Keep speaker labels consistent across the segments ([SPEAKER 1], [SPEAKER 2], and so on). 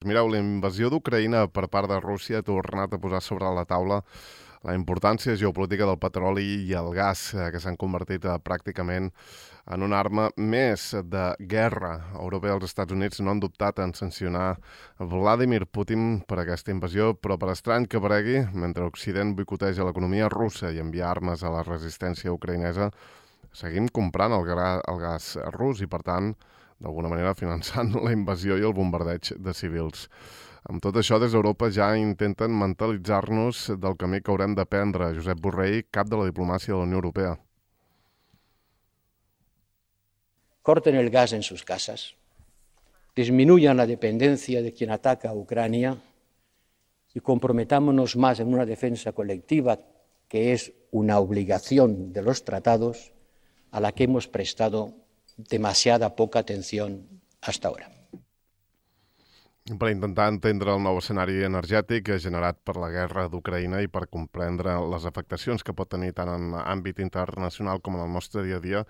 [SPEAKER 1] Mireu, la invasió d'Ucraïna per part de Rússia ha tornat a posar sobre la taula la importància geopolítica del petroli i el gas, que s'han convertit pràcticament en una arma més de guerra. Europa i els Estats Units no han dubtat en sancionar Vladimir Putin per aquesta invasió, però per estrany que paregui, mentre Occident boicoteja l'economia russa i envia armes a la resistència ucraïnesa, seguim comprant el gas rus i, per tant, d'alguna manera finançant la invasió i el bombardeig de civils. Amb tot això, des d'Europa ja intenten mentalitzar-nos del camí que haurem de prendre. Josep Borrell, cap de la diplomàcia de la Unió Europea.
[SPEAKER 2] Corten el gas en sus casas, disminuyan la dependencia de quien ataca a Ucrania y comprometámonos más en una defensa colectiva que es una obligación de los tratados a la que hemos prestado demasiada poca atención hasta ahora.
[SPEAKER 1] Per intentar entendre el nou escenari energètic generat per la guerra d'Ucraïna i per comprendre les afectacions que pot tenir tant en àmbit internacional com en el nostre dia a dia,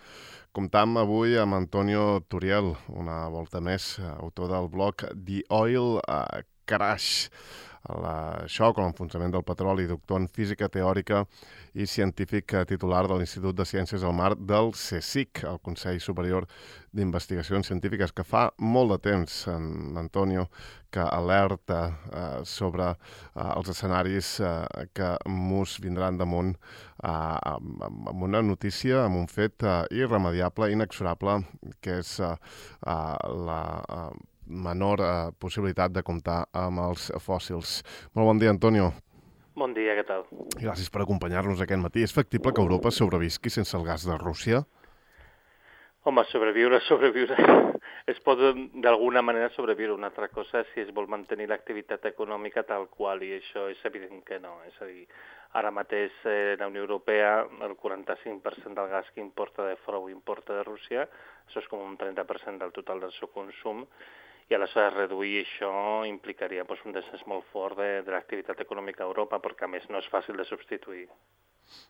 [SPEAKER 1] comptam avui amb Antonio Turiel, una volta més, autor del blog The Oil Crash, el xoc o l'enfonsament del petroli, doctor en física teòrica i científic titular de l'Institut de Ciències del Mar del CSIC, el Consell Superior d'Investigacions Científiques, que fa molt de temps, Antonio, que alerta sobre els escenaris que mos vindran damunt amb una notícia, amb un fet irremediable, inexorable, que és la menor possibilitat de comptar amb els fòssils. Molt bon dia, Antonio.
[SPEAKER 3] Bon dia, què tal?
[SPEAKER 1] Gràcies per acompanyar-nos aquest matí. És factible que Europa sobrevisqui sense el gas de Rússia?
[SPEAKER 3] Home, sobreviure. Es pot d'alguna manera sobreviure. Una altra cosa si es vol mantenir l'activitat econòmica tal qual, i això és evident que no. És a dir, ara mateix la Unió Europea, el 45% del gas que importa de fora ho importa de Rússia, això és com un 30% del total del seu consum, i aleshores reduir això implicaria un descens molt fort de l'activitat econòmica a Europa, perquè a més no és fàcil de substituir.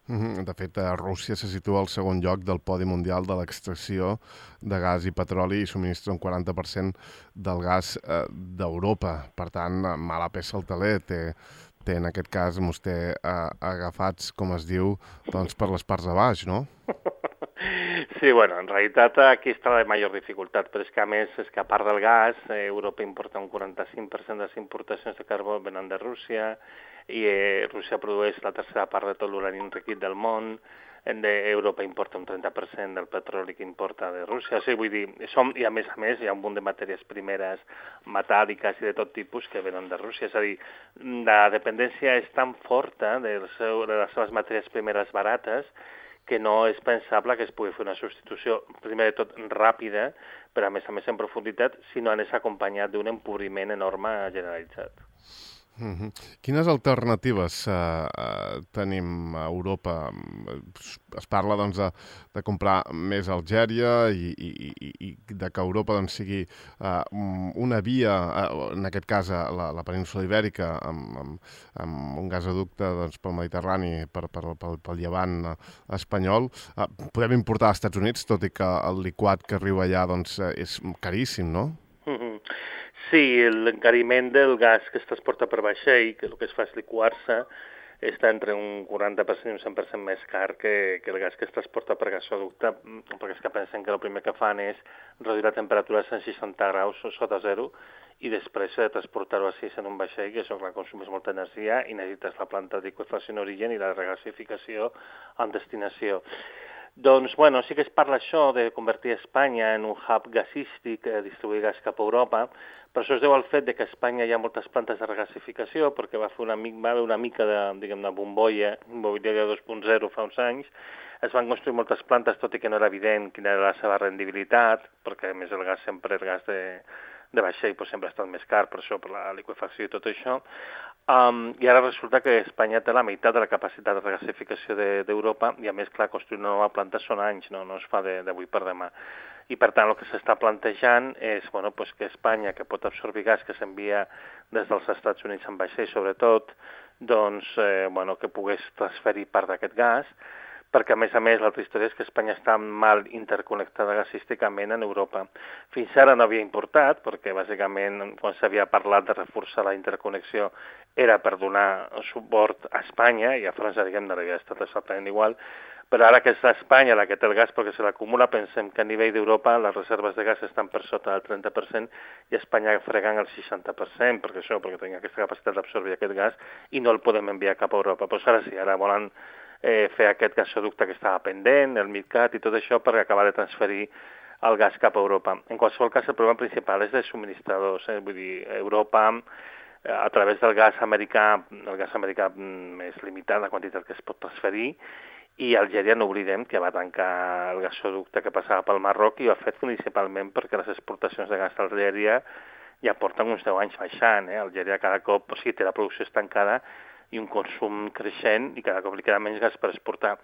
[SPEAKER 1] De fet, Rússia se situa al segon lloc del podi mundial de l'extracció de gas i petroli i subministra un 40% del gas d'Europa. Per tant, mala peça al teler té en aquest cas vostè agafats, com es diu, doncs per les parts de baix, no?
[SPEAKER 3] Sí, bueno, en realitat aquí està la major dificultat, però és que a més, és que a part del gas, Europa importa un 45% de les importacions de carbó venen de Rússia, i Rússia produeix la tercera part de tot l'urani enriquit del món, Europa importa un 30% del petroli que importa de Rússia. O sigui, vull dir, i a més hi ha un munt de matèries primeres metàl·liques i de tot tipus que venen de Rússia. És a dir, la dependència és tan forta de les seves matèries primeres barates que no és pensable que es pugui fer una substitució, primer de tot, ràpida, però a més en profunditat, si no anés acompanyat d'un empobriment enorme generalitzat.
[SPEAKER 1] Quines alternatives tenim a Europa? Es parla doncs, de comprar més a Algèria i de que Europa doncs, sigui una via, en aquest cas la península Ibèrica, amb un gasoducte doncs, pel Mediterrani, pel llevant espanyol. Podem importar als Estats Units, tot i que el liquat que arriba allà doncs, és caríssim, no?
[SPEAKER 3] Sí, l'encariment del gas que es transporta per vaixell, que el que es fa és liquar-se, està entre un 40% i un 100% més car que el gas que es transporta per gasoducte, perquè és que pensen que el primer que fan és reduir la temperatura a 160 graus sota zero i després transportar-ho a 6 en un vaixell, que això clar, consumeix molta energia i necessites la planta de liquefacció en origen i la regasificació en destinació. Doncs, bueno, sí que es parla això de convertir Espanya en un hub gasístic, distribuir gas cap a Europa, però això es deu al fet de que a Espanya hi ha moltes plantes de regasificació, perquè va haver una mica de bombolla immobiliària 2.0 fa uns anys, es van construir moltes plantes, tot i que no era evident quina era la seva rendibilitat, perquè a més el gas de vaixell sempre ha estat més car, per això, per la liquefacció i tot això. I ara resulta que Espanya té la meitat de la capacitat de regasificació d'Europa i a més, clar, construir una nova planta són anys, no es fa d'avui per demà. I per tant el que s'està plantejant és que Espanya, que pot absorbir gas que s'envia des dels Estats Units en vaixell sobretot, doncs que pogués transferir part d'aquest gas, perquè a més l'altra història és que Espanya està mal interconnectada gasísticament en Europa. Fins ara no havia importat, perquè bàsicament quan s'havia parlat de reforçar la interconnexió era per donar suport a Espanya, i a França, diguem-ne, havia estat exactament igual, però ara que és Espanya la que té el gas perquè se l'acumula, pensem que a nivell d'Europa les reserves de gas estan per sota del 30% i Espanya fregant el 60%, perquè tenia aquesta capacitat d'absorbir aquest gas i no el podem enviar cap a Europa. Però ara sí, ara volen fer aquest gasoducte que estava pendent, el MidCat i tot això per acabar de transferir el gas cap a Europa. En qualsevol cas, el problema principal és de subministradors, vull dir, Europa a través del gas americà, el gas americà és limitat la quantitat que es pot transferir, i Algèria no oblidem que va tancar el gasoducte que passava pel Marroc i ho ha fet principalment perquè les exportacions de gas a Algèria ja porten uns 10 anys baixant. Algèria cada cop, té la producció estancada i un consum creixent i cada cop li queda menys gas per exportar.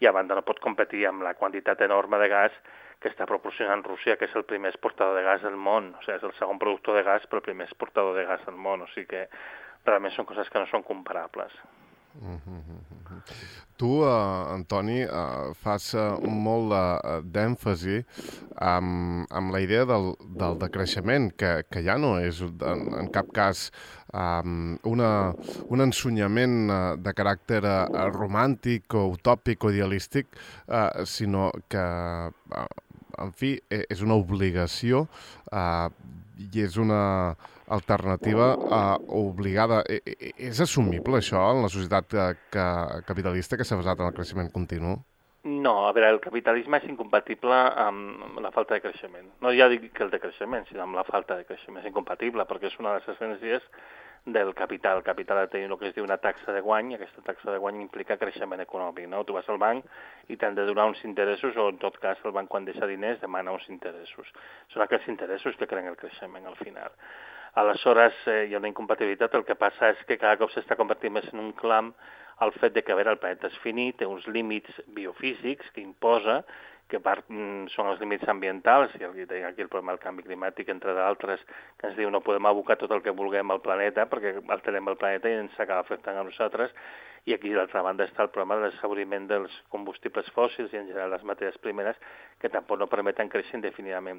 [SPEAKER 3] I a banda no pot competir amb la quantitat enorme de gas que està proporcionant Rússia, que és el primer exportador de gas del món. O sigui, és el segon productor de gas però el primer exportador de gas del món. O sigui que realment són coses que no són comparables.
[SPEAKER 1] Tu, Antoni, fas molt d'èmfasi amb la idea del decreixement, que ja no és en cap cas un ensunyament de caràcter romàntic o utòpic o idealístic, sinó que, en fi, és una obligació i és una alternativa obligada. És assumible això en la societat capitalista que s'ha basat en el creixement continu?
[SPEAKER 3] No, a veure, el capitalisme és incompatible amb la falta de creixement. No ja dic que el de creixement, sinó amb la falta de creixement. És incompatible perquè és una de les essències del capital. El capital ha de tenir el que es diu una taxa de guany, i aquesta taxa de guany implica creixement econòmic, no? Tu vas al banc i t'han de donar uns interessos, o en tot cas el banc quan deixa diners demana uns interessos. Són aquests interessos que creen el creixement al final. Aleshores, hi ha una incompatibilitat. El que passa és que cada cop s'està convertint més en un clam el fet de que, a veure, el planeta és finit, té uns límits biofísics que imposa, que són els límits ambientals, i aquí el problema del canvi climàtic, entre d'altres, que ens diu no podem abocar tot el que vulguem al planeta, perquè alterem el planeta i ens acaba afectant a nosaltres, i aquí, d'altra banda, està el problema de l'exhauriment dels combustibles fòssils i, en general, les matèries primeres, que tampoc no permeten créixer indefinidament.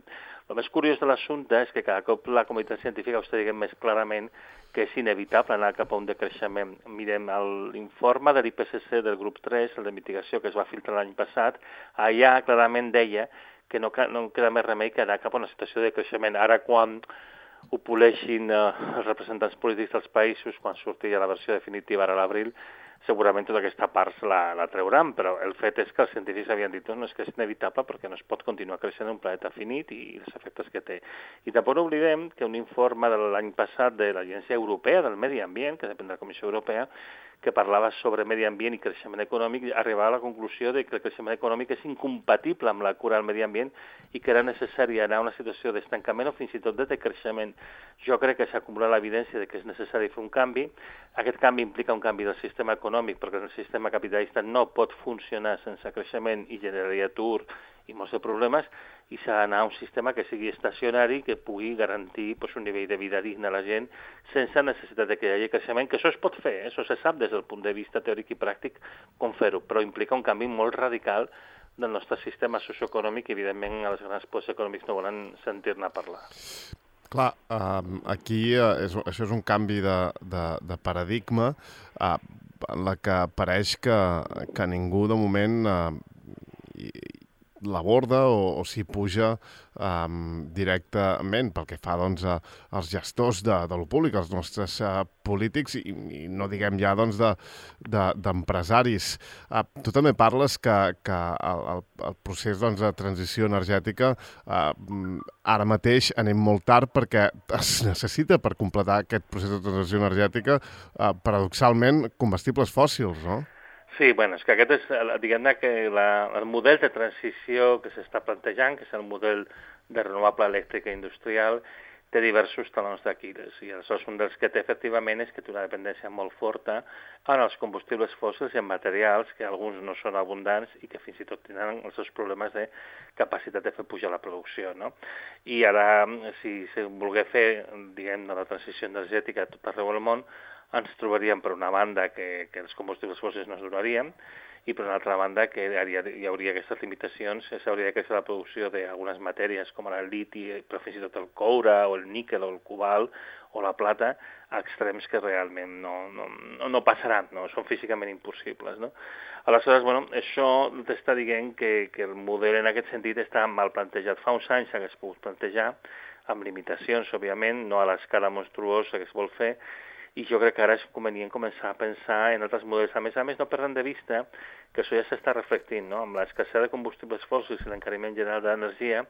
[SPEAKER 3] El més curiós de l'assumpte és que cada cop la comunitat científica us diguem més clarament que és inevitable anar cap a un decreixement. Mirem l'informe de l'IPCC del grup 3, el de mitigació que es va filtrar l'any passat, allà clarament deia que no queda més remei que anar cap a una situació de creixement. Ara, quan ho poleixin els representants polítics dels països, quan surti ja la versió definitiva ara a l'abril, segurament tota aquesta part la trauran, però el fet és que els científics havien dit no, és que és inevitable perquè no es pot continuar creixent en un planeta finit i els efectes que té. I tampoc no oblidem que un informe de l'any passat de l'Agència Europea del Medi Ambient, que depèn de la Comissió Europea, que parlava sobre medi ambient i creixement econòmic, arribava a la conclusió de que el creixement econòmic és incompatible amb la cura del medi ambient i que era necessari anar a una situació d'estancament o fins i tot de decreixement. Jo crec que s'ha acumulat l'evidència de que és necessari fer un canvi. Aquest canvi implica un canvi del sistema econòmic, perquè el sistema capitalista no pot funcionar sense creixement i generaria atur i molts de problemes, i s'ha d'anar a un sistema que sigui estacionari, que pugui garantir un nivell de vida digne a la gent sense necessitat de que hi hagi creixement, que això es pot fer, això se sap des del punt de vista teòric i pràctic com fer-ho, però implica un canvi molt radical del nostre sistema socioeconòmic i, evidentment, els grans poders econòmics no volen sentir-ne parlar.
[SPEAKER 1] Clar, aquí això és un canvi de paradigma en la que pareix que ningú de moment l'aborda o s'hi puja directament pel que fa als gestors de lo públic, els nostres polítics i no diguem ja d'empresaris. Tu també parles que el procés de transició energètica ara mateix anem molt tard perquè es necessita per completar aquest procés de transició energètica paradoxalment combustibles fòssils, no?
[SPEAKER 3] Sí, bueno, és que aquest és, diguem-ne, que el model de transició que s'està plantejant, que és el model de renovable elèctrica industrial, té diversos talons d'Aquil·les. I aleshores un dels que té efectivament és que té una dependència molt forta en els combustibles fòssils i en materials que alguns no són abundants i que fins i tot tenen els seus problemes de capacitat de fer pujar la producció, no? I ara, si volgués fer, diguem-ne, la transició energètica a tot arreu del món, ens trobaríem per una banda que els combustibles fòssils no es donarien i per una altra banda que hi hauria aquestes limitacions, s'hauria de créixer la producció d'algunes matèries com el liti, però fins i tot el coure o el níquel o el cobalt o la plata, a extrems que realment no passaran, no? Són físicament impossibles, no? Aleshores, bueno, això t'està dient que el model en aquest sentit està mal plantejat. Fa uns anys s'hagués pogut plantejar, amb limitacions, òbviament, no a l'escala monstruosa que es vol fer, i jo crec que ara és convenient començar a pensar en altres models. A més, no perdem de vista que això ja s'està reflectint, no? Amb l'escassetat de combustibles fòssils i l'encariment general de l'energia,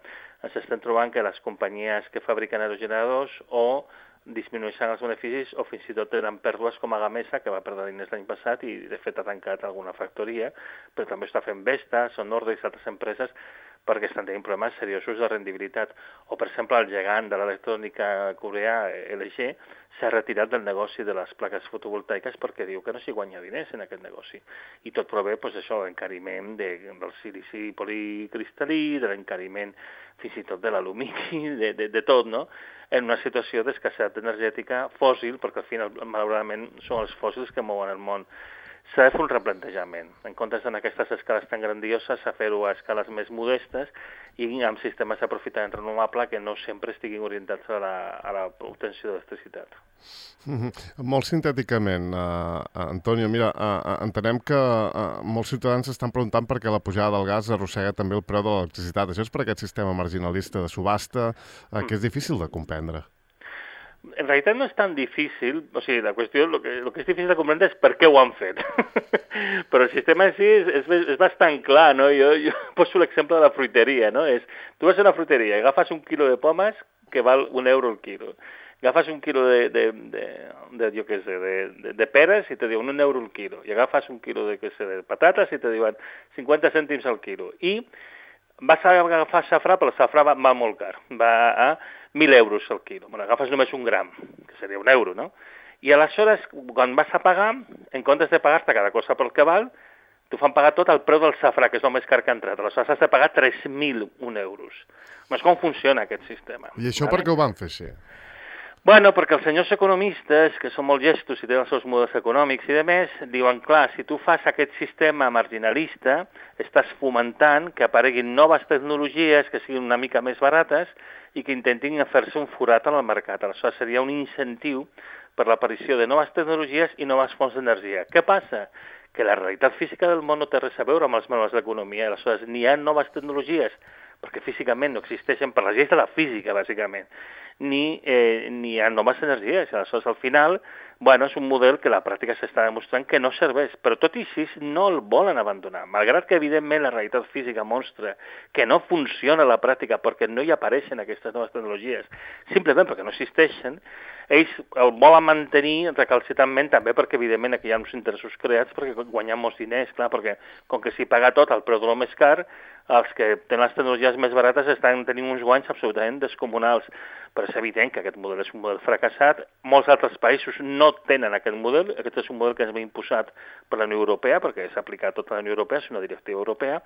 [SPEAKER 3] ens estem trobant que les companyies que fabriquen aerogeneradors o disminueixen els beneficis o fins i tot tenen pèrdues com a Gamesa, que va perdre diners l'any passat i de fet ha tancat alguna factoria, però també està fent Vestas o Nordex i altres empreses perquè estan tenint problemes seriosos de rendibilitat. O, per exemple, el gegant de l'electrònica coreà, LG, s'ha retirat del negoci de les plaques fotovoltaiques perquè diu que no s'hi guanya diners en aquest negoci. I tot prové, doncs, això, l'encariment del silici policristal·lí, de l'encariment fins i tot de l'alumini, de tot, no? En una situació d'escassetat energètica fòssil, perquè al final, malauradament, són els fòssils que mouen el món. S'ha de fer un replantejament. En comptes en aquestes escales tan grandioses, a fer-ho a escales més modestes i amb sistemes d'aprofitament renovable que no sempre estiguin orientats a l'obtenció d'electricitat.
[SPEAKER 1] Molt sintèticament, Antonio, mira, entenem que molts ciutadans estan preguntant per què la pujada del gas arrossega també el preu de l'electricitat. Això és per aquest sistema marginalista de subhasta que és difícil de comprendre.
[SPEAKER 3] En realitat no és tan difícil, o sigui, la qüestió, el que és difícil de comprendre és per què ho han fet. Però el sistema en si és bastant clar, no? Jo poso l'exemple de la fruiteria, no? Tu vas a una fruiteria i agafes un quilo de pomes que val €1 el quilo. Agafes un quilo de peres i te diuen €1 el quilo. I agafes un quilo de patates i te diuen 50 cèntims al quilo. I vas a agafar safrà, però el safrà va molt car. Va a 1.000 euros al quilo. Bueno, agafes només un gram, que seria €1, no? I aleshores, quan vas a pagar, en comptes de pagar-te cada cosa pel que val, t'ho fan pagar tot al preu del safrà, que és el més car que ha entrat. Aleshores has de pagar 3.001 euros. És com funciona aquest sistema.
[SPEAKER 1] I això per què ho van fer així?
[SPEAKER 3] Bueno, perquè els senyors economistes, que són molt llestos i tenen els seus models econòmics i demés, diuen, clar, si tu fas aquest sistema marginalista, estàs fomentant que apareguin noves tecnologies que siguin una mica més barates i que intentin fer-se un forat en el mercat. Aleshores seria un incentiu per l'aparició de noves tecnologies i noves fonts d'energia. Què passa? Que la realitat física del món no té res a veure amb els manuals d'economia. Aleshores ni hi ha noves tecnologies, perquè físicament no existeixen per les lleis de la física, bàsicament, ni hi ha noves energies. Aleshores, al final, bueno, és un model que a la pràctica s'està demostrant que no serveix, però tot i així no el volen abandonar. Malgrat que, evidentment, la realitat física mostra que no funciona a la pràctica perquè no hi apareixen aquestes noves tecnologies, simplement perquè no existeixen, ells el volen mantenir recalcitrantment també perquè, evidentment, aquí hi ha uns interessos creats perquè guanyen molts diners, clar, perquè com que s'hi paga tot al preu de lo més car, els que tenen les tecnologies més barates estan tenint uns guanys absolutament descomunals. Però és evident que aquest model és un model fracassat. Molts altres països no tenen aquest model. Aquest és un model que ens ve imposat per la Unió Europea, perquè s'ha aplicat a tota la Unió Europea, és una directiva europea,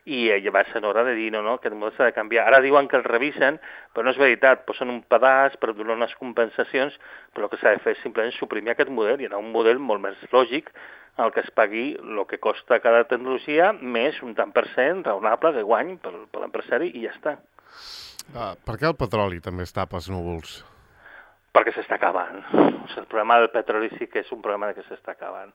[SPEAKER 3] i va ser hora de dir, no, aquest model s'ha de canviar. Ara diuen que el revisen, però no és veritat, posen un pedaç per donar unes compensacions, però el que s'ha de fer és simplement suprimir aquest model i anar a un model molt més lògic el que es pagui el que costa cada tecnologia més un tant per cent raonable de guany per l'empresari i ja està.
[SPEAKER 1] Per què el petroli també es tapa els núvols?
[SPEAKER 3] Perquè s'està acabant. O sigui, el problema del petroli sí que és un problema que s'està acabant.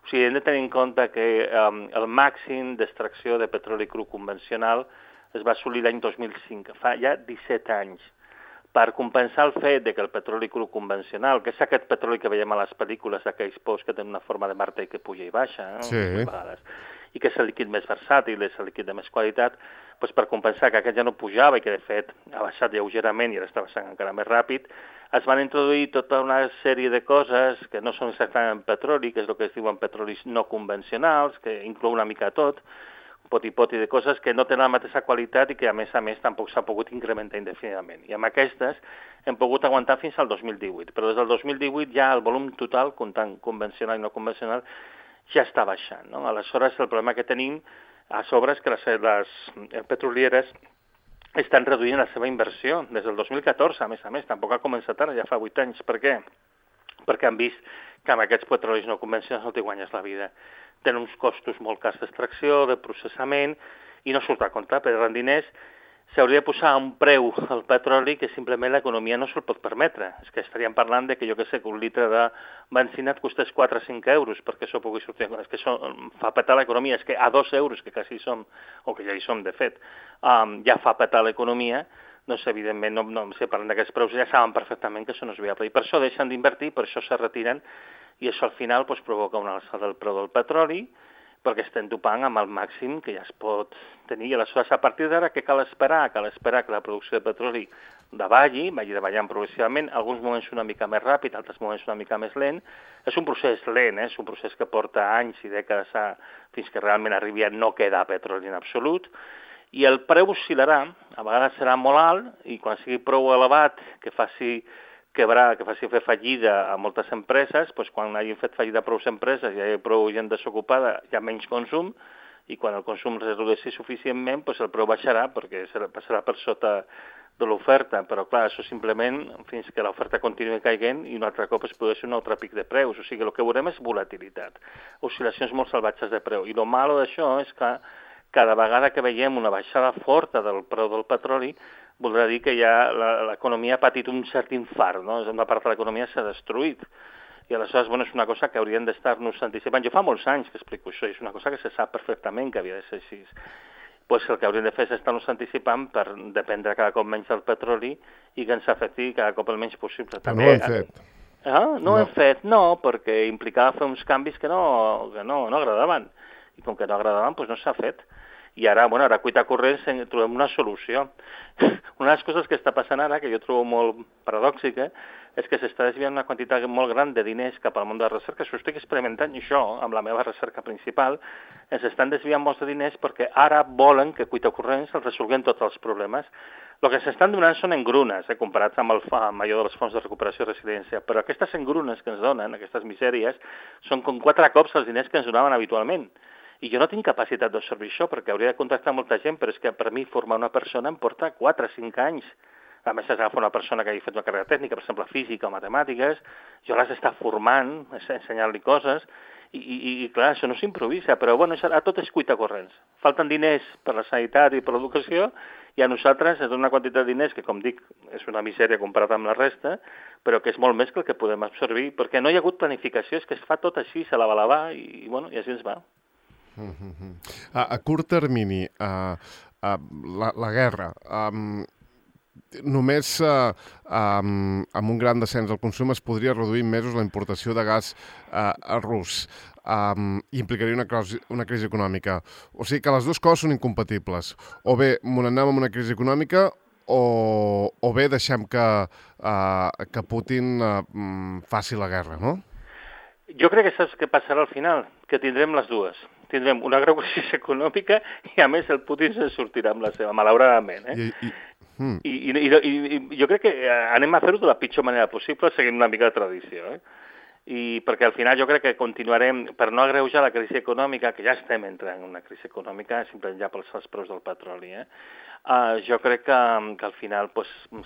[SPEAKER 3] O sigui, hem de tenir en compte que el màxim d'extracció de petroli cru convencional es va assolir l'any 2005, fa ja 17 anys. Per compensar el fet que el petroli cru convencional, que és aquest petroli que veiem a les pel·lícules d'aquells pous que tenen una forma de martell que puja i baixa,
[SPEAKER 1] sí,
[SPEAKER 3] i que és el líquid més versàtil, és el líquid de més qualitat, doncs per compensar que aquest ja no pujava i que de fet ha baixat lleugerament i ara està baixant encara més ràpid, es van introduir tota una sèrie de coses que no són exactament petroli, que és el que es diuen petrolis no convencionals, que inclou una mica tot, poti-poti de coses que no tenen la mateixa qualitat i que a més tampoc s'ha pogut incrementar indefinidament. I amb aquestes hem pogut aguantar fins al 2018, però des del 2018 ja el volum total, comptant convencional i no convencional, ja està baixant, no? Aleshores el problema que tenim a sobre és que les petrolieres estan reduint la seva inversió des del 2014, a més, tampoc ha començat ara, ja fa 8 anys. Per què? Perquè han vist que amb aquests petrolis no convencionals no t'hi guanyes la vida. tenen uns costos molt cars d'extracció, de processament, i no surt a compte, perdran diners. S'hauria de posar un preu al petroli que simplement l'economia no se'l pot permetre. És que estaríem parlant de que, jo què sé, que un litre de benzina et costés 4 o 5 euros perquè això pugui sortir. És que això fa petar l'economia. És que a 2 euros, que quasi som, o que ja hi som, de fet, ja fa petar l'economia, doncs evidentment, si parlem d'aquests preus, ja saben perfectament que això no és viable. I per això deixen d'invertir, per això se retiren, i això al final provoca una alçada del preu del petroli, perquè estem topant amb el màxim que ja es pot tenir. I aleshores, a partir d'ara, què cal esperar? Cal esperar que la producció de petroli vagi davallant progressivament, alguns moments una mica més ràpid, altres moments una mica més lent. És un procés lent, és un procés que porta anys i dècades fins que realment arribi a no quedar petroli en absolut. I el preu oscil·larà, a vegades serà molt alt, i quan sigui prou elevat, que faci fer fallida a moltes empreses, doncs quan hagin fet fallida prou empreses i hi hagi prou gent desocupada, hi ha menys consum, i quan el consum es redueixi suficientment, doncs el preu baixarà, perquè passarà per sota de l'oferta, però clar, això simplement fins que l'oferta continuï caiguent i un altre cop es produeix un altre pic de preus. O sigui, el que veurem és volatilitat, oscil·lacions molt salvatges de preu. I el malo d'això és que cada vegada que veiem una baixada forta del preu del petroli, voldrà dir que ja l'economia ha patit un cert infart, no? Una part de l'economia s'ha destruït. I aleshores, és una cosa que haurien d'estar-nos anticipant. Jo fa molts anys que explico això, és una cosa que se sap perfectament que havia de ser així. Pues el que hauríem de fer és estar-nos anticipant per dependre cada cop menys del petroli i que ens afecti cada cop el menys possible.
[SPEAKER 1] Però no ho hem fet.
[SPEAKER 3] No ho hem fet, no, perquè implicava fer uns canvis que no agradaven. I com que no agradaven, doncs no s'ha fet. I ara, ara cuita corrents, trobem una solució. Una de les coses que està passant ara, que jo trobo molt paradòxica, és que s'està desviant una quantitat molt gran de diners cap al món de la recerca. S'ho estic experimentant jo, amb la meva recerca principal, ens estan desviant molts de diners perquè ara volen que cuita corrents els resolguem tots els problemes. El que s'estan donant són engrunes, comparats amb allò dels fons de recuperació i resiliència, però aquestes engrunes que ens donen, aquestes misèries, són com 4 cops els diners que ens donaven habitualment. I jo no tinc capacitat d'observar això, perquè hauria de contractar molta gent, però és que per mi formar una persona em porta 4 o 5 anys. A més, has d'agafar una persona que hagi fet una carrera tècnica, per exemple, física o matemàtiques, jo l'has d'estar formant, ensenyant-li coses, i clar, això no s'improvisa, però a tot és cuita corrents. Falten diners per la sanitat i per l'educació, i a nosaltres ens dona una quantitat de diners que, com dic, és una misèria comparat amb la resta, però que és molt més que el que podem absorbir, perquè no hi ha hagut planificació, és que es fa tot així, se la va, i així ens va.
[SPEAKER 1] A curt termini, la guerra, només amb un gran descens del consum es podria reduir en mesos la importació de gas rus i implicaria una crisi econòmica. O sigui que les dues coses són incompatibles. O bé anem amb una crisi econòmica o bé deixem que Putin faci la guerra, no?
[SPEAKER 3] Jo crec que saps què passarà al final, que tindrem les dues. Tindrem una greu crisi econòmica i, a més, el Putin se'n sortirà amb la seva, malauradament. I jo crec que anem a fer-ho de la pitjor manera possible, seguint una mica de tradició. I perquè al final jo crec que continuarem, per no agreujar la crisi econòmica, que ja estem entrant en una crisi econòmica, simplement ja pels preus del petroli, jo crec que al final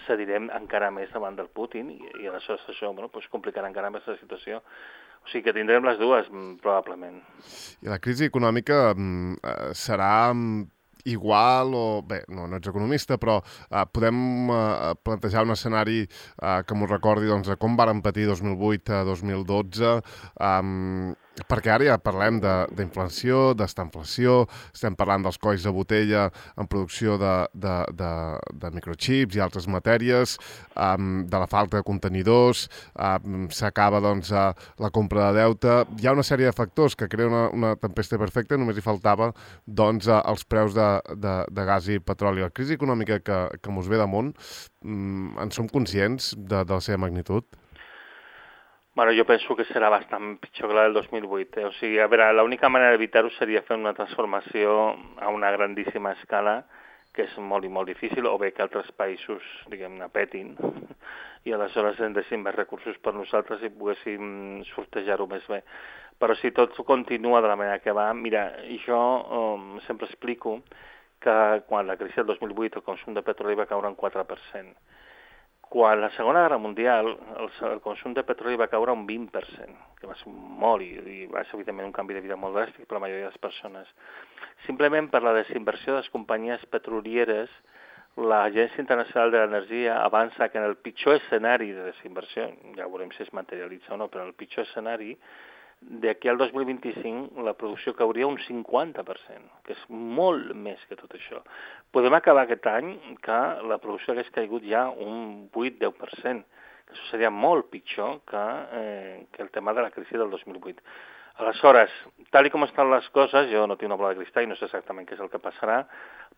[SPEAKER 3] cedirem encara més davant del Putin i aleshores això complicarà encara més la situació. O sigui que tindrem les dues, probablement. I
[SPEAKER 1] la crisi econòmica serà igual o... Bé, no ets economista, però podem plantejar un escenari que m'ho recordi de com varen patir 2008 a 2012, perquè ara ja parlem d'inflació, d'estanflació, estem parlant dels colls de botella en producció de microchips i altres matèries, de la falta de contenidors, s'acaba la compra de deute. Hi ha una sèrie de factors que creen una tempesta perfecta, només hi faltava els preus de gas i petroli. La crisi econòmica que mos ve damunt, en som conscients de la seva magnitud?
[SPEAKER 3] Jo penso que serà bastant pitjor que la del 2008. O sigui, a veure, l'única manera d'evitar-ho seria fer una transformació a una grandíssima escala, que és molt i molt difícil, o bé que altres països, diguem-ne, petin, i aleshores ens deixin més recursos per nosaltres i poguéssim sortejar-ho més bé. Però si tot continua de la manera que va, mira, jo sempre explico que quan la crisi del 2008 el consum de petroli va caure un 4%. Quan la Segona Guerra Mundial el consum de petroli va caure un 20%, que va ser molt, i va ser evidentment un canvi de vida molt dràstic per la majoria de les persones. Simplement per la desinversió de les companyies petrolieres, l'Agència Internacional de l'Energia avança que en el pitjor escenari de desinversió, ja veurem si es materialitza o no, però en el pitjor escenari, d'aquí al 2025 la producció cauria un 50%, que és molt més que tot això. Podem acabar aquest any que la producció hagués caigut ja un 8-10%, que això seria molt pitjor que el tema de la crisi del 2008. Aleshores, tal com estan les coses, jo no tinc una bola de cristall i no sé exactament què és el que passarà,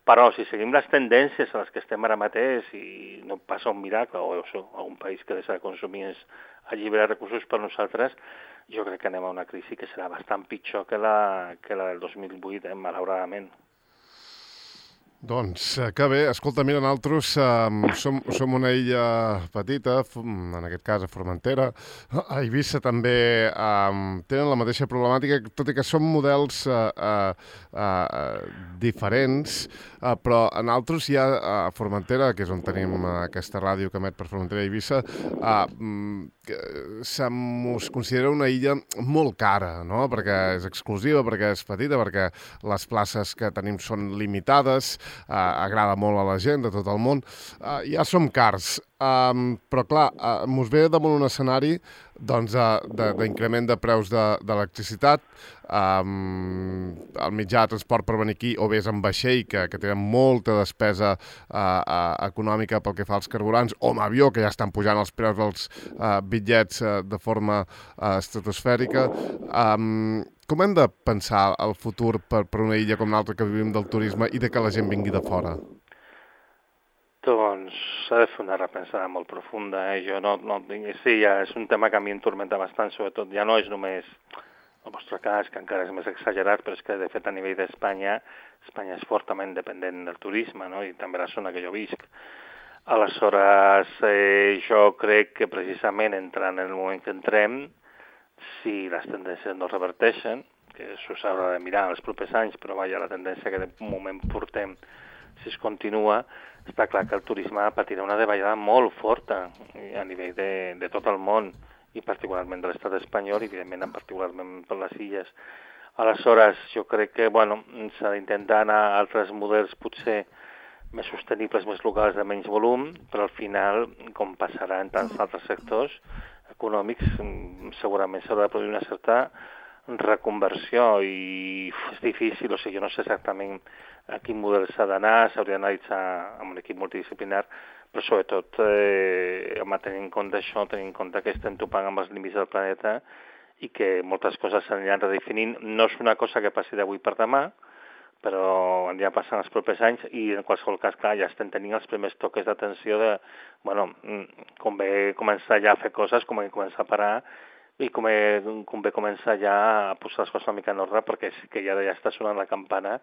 [SPEAKER 3] però si seguim les tendències a les que estem ara mateix i no passa un miracle, o algun país que deixa de consumir alliberar recursos per nosaltres, jo crec que anem a una crisi que serà bastant pitjor que la del 2008, malauradament.
[SPEAKER 1] Doncs que bé, escolta, mira, nosaltres som una illa petita, en aquest cas a Formentera, a Eivissa també tenen la mateixa problemàtica, tot i que són models diferents, però a nosaltres ja a Formentera, que és on tenim aquesta ràdio que emet per Formentera i Eivissa, se'ns considera una illa molt cara, no? Perquè és exclusiva, perquè és petita, perquè les places que tenim són limitades, agrada molt a la gent de tot el món, ja som cars, però clar, mos ve damunt un escenari d'increment de preus d'electricitat, el mitjà de transport per venir aquí, o bé és en vaixell, que tenen molta despesa econòmica pel que fa als carburants, o amb avió, que ja estan pujant els preus dels bitllets de forma estratosfèrica. Com hem de pensar el futur per una illa com l'altra que vivim del turisme i de que la gent vingui de fora?
[SPEAKER 3] Doncs s'ha de fer una repensada molt profunda. Sí, ja és un tema que a mi em tormenta bastant, sobretot ja no és només el vostre cas, que encara és més exagerat, però és que de fet a nivell d'Espanya, Espanya és fortament dependent del turisme, no? I també la zona que jo visc. Aleshores, jo crec que precisament entrant en el moment que entrem, si les tendències no reverteixen, que s'ho s'haurà de mirar els propers anys, però vaja, la tendència que de moment portem, si es continua, està clar que el turisme patirà una davallada molt forta a nivell de tot el món, i particularment de l'estat espanyol, i evidentment particularment per les illes. Aleshores, jo crec que s'ha d'intentar anar a altres models potser més sostenibles, més locals, de menys volum, però al final, com passarà en tants altres sectors econòmics, segurament s'haurà de produir una certa reconversió i és difícil, jo no sé exactament a quin model s'ha d'anar, s'hauria d'analitzar amb un equip multidisciplinar, però sobretot tenint en compte això, tenint en compte que estem topant amb els límits del planeta i que moltes coses s'aniran redefinint. No és una cosa que passi d'avui per demà, però anirà passant els propers anys i en qualsevol cas, clar, ja estem tenint els primers toques d'atenció de, convé començar ja a fer coses, convé començar a parar i convé començar ja a posar les coses una mica en ordre perquè sí que ja està sonant la campana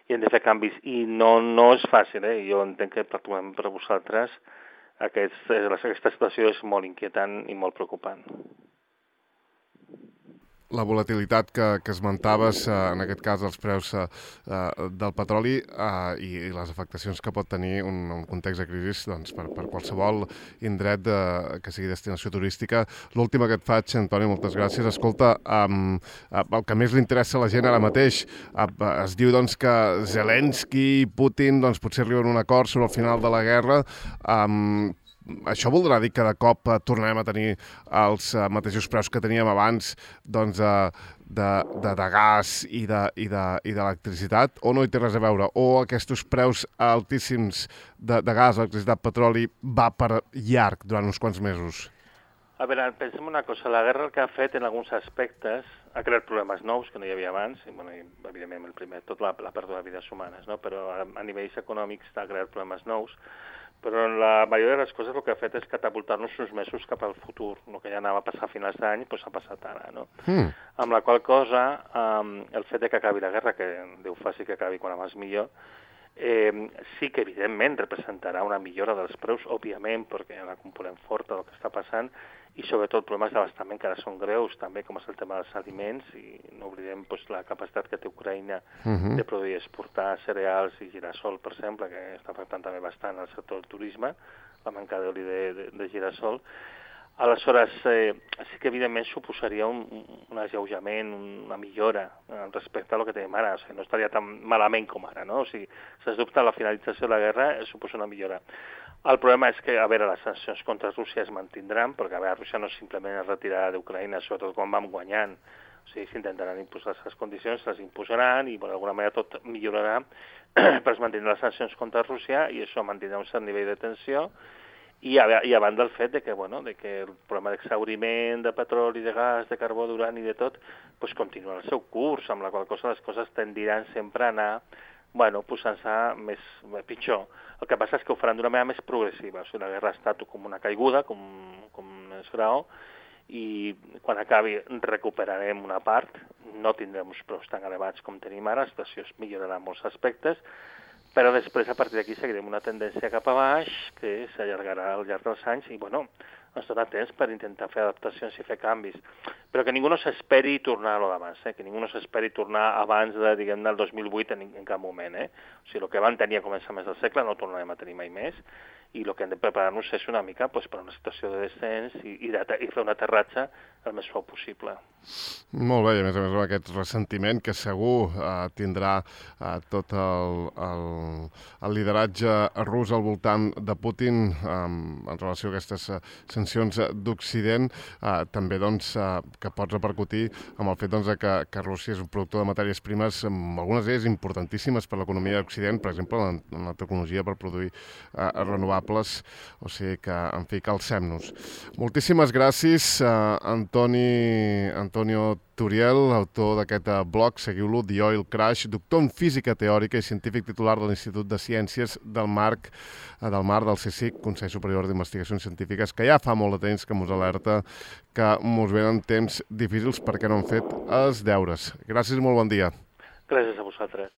[SPEAKER 3] i hem de fer canvis. I no és fàcil, jo entenc que particularment per vosaltres aquesta situació és molt inquietant i molt preocupant.
[SPEAKER 1] La volatilitat que esmentaves, en aquest cas els preus del petroli i les afectacions que pot tenir un context de crisi per qualsevol indret que sigui destinació turística. L'última que et faig, Antoni, moltes gràcies. Escolta, el que més li interessa a la gent ara mateix, es diu que Zelensky i Putin potser arriben a un acord sobre el final de la guerra. Això voldrà dir que de cop tornarem a tenir els mateixos preus que teníem abans de gas i d'electricitat, o no hi té res a veure? O aquests preus altíssims de gas, electricitat, petroli va per llarg durant uns quants mesos?
[SPEAKER 3] A veure, pensem una cosa, la guerra el que ha fet en alguns aspectes ha creat problemes nous que no hi havia abans, i evidentment el primer, tot la pèrdua de vides humanes, no? Però a nivells econòmics ha creat problemes nous, però la majoria de les coses el que ha fet és catapultar-nos uns mesos cap al futur. El que ja anava a passar a finals d'any ha passat ara, no? Amb la qual cosa, el fet que acabi la guerra, que Déu faci que acabi quan abans millor, sí que evidentment representarà una millora dels preus, òbviament, perquè hi ha una component forta del que està passant, i sobretot problemes d'abastament que ara són greus, també com és el tema dels aliments, i no oblidem la capacitat que té Ucraïna de produir i exportar cereals i girassol, per exemple, que està afectant també bastant el sector del turisme, la manca d'oli de girassol. Aleshores, sí que evidentment suposaria un alleujament, una millora respecte a lo que tenim ara, o sigui, no estaria tan malament com ara, no? O sigui, sens dubte, la finalització de la guerra suposa una millora. El problema és que, a veure, les sancions contra Rússia es mantindran, perquè, a veure, Rússia no simplement es retirarà d'Ucraïna, sobretot quan vam guanyant. O sigui, s'intentaran imposar les condicions, les imposaran i, d'alguna manera, tot millorarà, però es mantindran les sancions contra Rússia i això mantindrà un cert nivell de tensió i a banda del fet que el problema d'exhauriment de petroli, de gas, de carbó, d'urani i de tot, pues, continua el seu curs, amb la qual cosa les coses tendiran sempre a anar posant-se més pitjor. El que passa és que ho faran d'una manera més progressiva. O sigui, la guerra ha estat com una caiguda, com és grau, i quan acabi recuperarem una part, no tindrem uns preus tan elevats com tenim ara, la situació es millorarà en molts aspectes, però després, a partir d'aquí, seguirem una tendència cap a baix que s'allargarà al llarg dels anys i, ens dona temps per intentar fer adaptacions i fer canvis. Però que ningú no s'esperi tornar a lo d'abans, que ningú no s'esperi tornar abans de, del 2008 en cap moment. O sigui, el que vam tenir a començaments del segle no ho tornarem a tenir mai més i el que hem de preparar-nos és una mica per una situació de descens i fer un aterratge el més suau possible.
[SPEAKER 1] Molt bé, i a més amb aquest ressentiment que segur tindrà tot el lideratge rus al voltant de Putin en relació a aquestes sancions d'Occident, també que pot repercutir amb el fet que Rússia és un productor de matèries primes, algunes d'elles importantíssimes per l'economia d'Occident, per exemple, en la tecnologia per produir renovables, o sigui que, en fi, calcem-nos. Moltíssimes gràcies, Antonio Turiel, autor d'aquest blog, seguiu-lo, The Oil Crash, doctor en física teòrica i científic titular de l'Institut de Ciències del Mar del CSIC, Consell Superior d'Investigacions Científiques, que ja fa molt de temps que mos alerta que mos venen temps difícils perquè no han fet els deures. Gràcies i molt bon dia.
[SPEAKER 3] Gràcies a vosaltres.